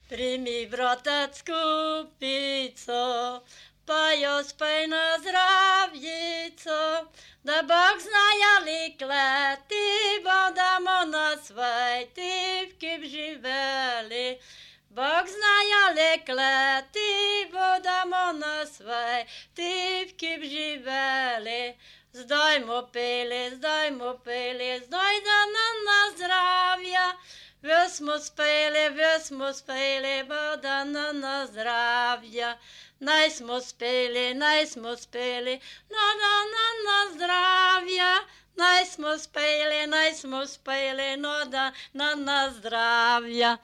Primi bratec kupico, pa jo spej na zdravjico, da Bog znaja likleti, bodamo na sveti vkip živeli. Bog znaja likleti, bodamo na sveti vkip živeli. Zdaj mu peli, zdaj da na zdravja. Ves mu speli, boda na zdravja. Naj smo speli, no da na zdravja. Naj smo speli, no da na zdravja.